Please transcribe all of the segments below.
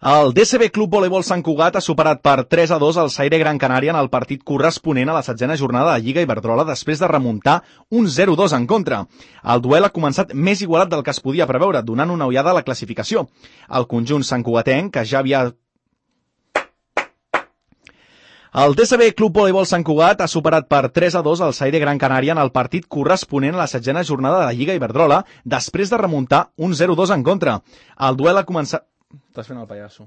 El DCB Club Voleibol Sant Cugat ha superat per 3-2 el Saire Gran Canària en el partit corresponent a la 7a jornada de Lliga Iberdrola després de remuntar un 0-2 en contra. El duel ha començat més igualat del que es podia preveure, donant una ullada a la classificació. El conjunt santcugatenc, que ja havia... El DCB Club Voleibol Sant Cugat ha superat per 3-2 el Saire Gran Canària en el partit corresponent a la 7a jornada de la Lliga Iberdrola després de remuntar un 0-2 en contra. El duel ha començat... Estàs fent el pallasso.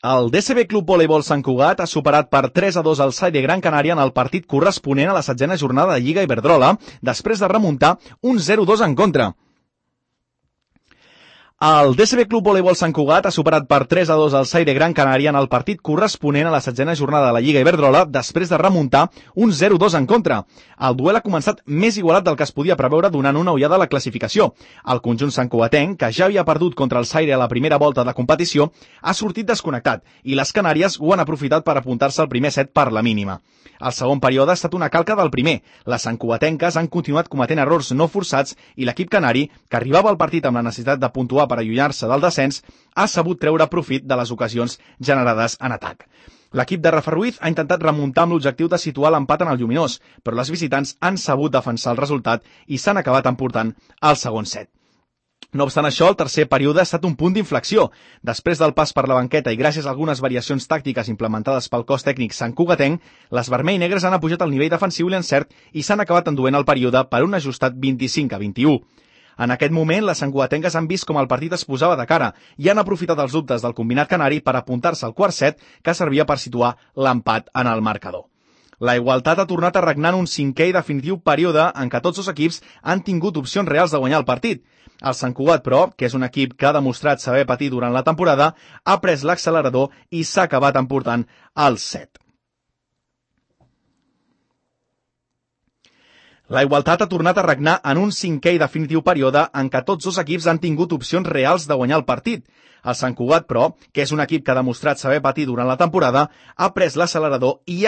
El DCB Club Voleibol Sant Cugat ha superat per 3-2 el Saire Gran Canària en el partit corresponent a la 7a jornada de Lliga Iberdrola després de remuntar un 0-2 en contra. El DCB Club Voleibol Sant Cugat ha superat per 3-2 el Saire Gran Canària en el partit corresponent a la 7a jornada de la Lliga Iberdrola després de remuntar un 0-2 en contra. El duel ha començat més igualat del que es podia preveure, donant una ullada a la classificació. El conjunt santcugatenc, que ja havia perdut contra el Saire a la primera volta de competició, ha sortit desconnectat i les Canàries ho han aprofitat per apuntar-se al primer set per la mínima. El segon període ha estat una calca del primer. Les santcugatenques han continuat cometent errors no forçats i l'equip canari, que arribava al partit amb la necessitat de puntuar per allunyar-se del descens, ha sabut treure profit de les ocasions generades en atac. L'equip de Rafa Ruiz ha intentat remuntar amb l'objectiu de situar l'empat en el lluminós, però les visitants han sabut defensar el resultat i s'han acabat emportant al segon set. No obstant això, el tercer període ha estat un punt d'inflexió. Després del pas per la banqueta i gràcies a algunes variacions tàctiques implementades pel cos tècnic santcugatenc, les vermell negres han apujat el nivell defensiu i l'encert i s'han acabat enduent el període per un ajustat 25-21. En aquest moment, les santcugatenques han vist com el partit es posava de cara i han aprofitat els dubtes del combinat canari per apuntar-se al quart set, que servia per situar l'empat en el marcador. La igualtat ha tornat a regnar en un cinquè i definitiu període en què tots dos equips han tingut opcions reals de guanyar el partit. El Sant Cugat, però, que és un equip que ha demostrat saber patir durant la temporada, ha pres l'accelerador i s'ha acabat emportant el set. La igualtat ha tornat a regnar en un cinquè i definitiu període en què tots dos equips han tingut opcions reals de guanyar el partit. El Sant Cugat, però, que és un equip que ha demostrat saber patir durant la temporada, ha pres l'accelerador i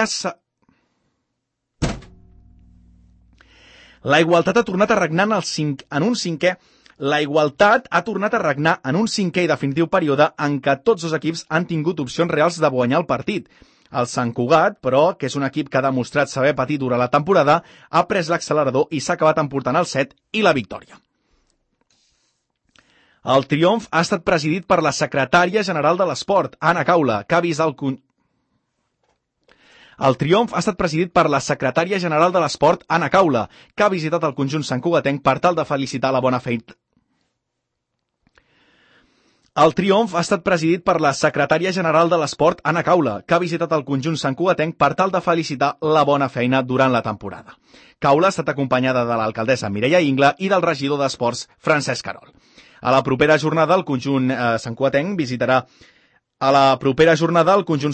La igualtat ha tornat a regnar en un cinquè i definitiu període en què tots dos equips han tingut opcions reals de guanyar el partit. El Sant Cugat, però, que és un equip que ha demostrat saber patir durant la temporada, ha pres l'accelerador i s'ha acabat emportant el set i la victòria. El triomf ha estat presidit per la secretària general de l'esport, Anna Caula, que ha vist El triomf ha estat presidit per la secretària general de l'esport, Anna Caula, que ha visitat el conjunt santcugatenc per tal de felicitar la bona feina. El triomf ha estat presidit per la secretària general de l'esport, Anna Caula, que ha visitat el conjunt santcugatenc per tal de felicitar la bona feina durant la temporada. Caula ha estat acompanyada de l'alcaldessa Mireia Ingla i del regidor d'esports, Francesc Carol. A la propera jornada, el conjunt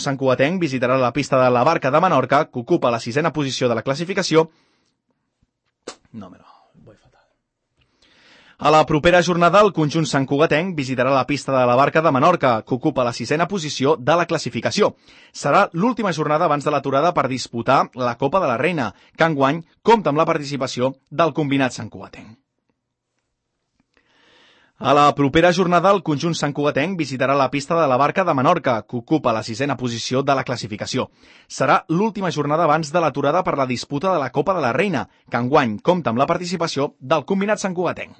santcugatenc visitarà la pista de la Barca de Menorca, que ocupa la 6a posició de la classificació. A la propera jornada, el conjunt santcugatenc visitarà la pista de la Barca de Menorca, que ocupa la 6a posició de la classificació. Serà l'última jornada abans de l'aturada per disputar la Copa de la Reina, que enguany compta amb la participació del combinat santcugatenc. A la propera jornada, el conjunt santcugatenc visitarà la pista de la Barca de Menorca, que ocupa la 6a posició de la classificació. Serà l'última jornada abans de l'aturada per la disputa de la Copa de la Reina, que enguany compta amb la participació del combinat santcugatenc.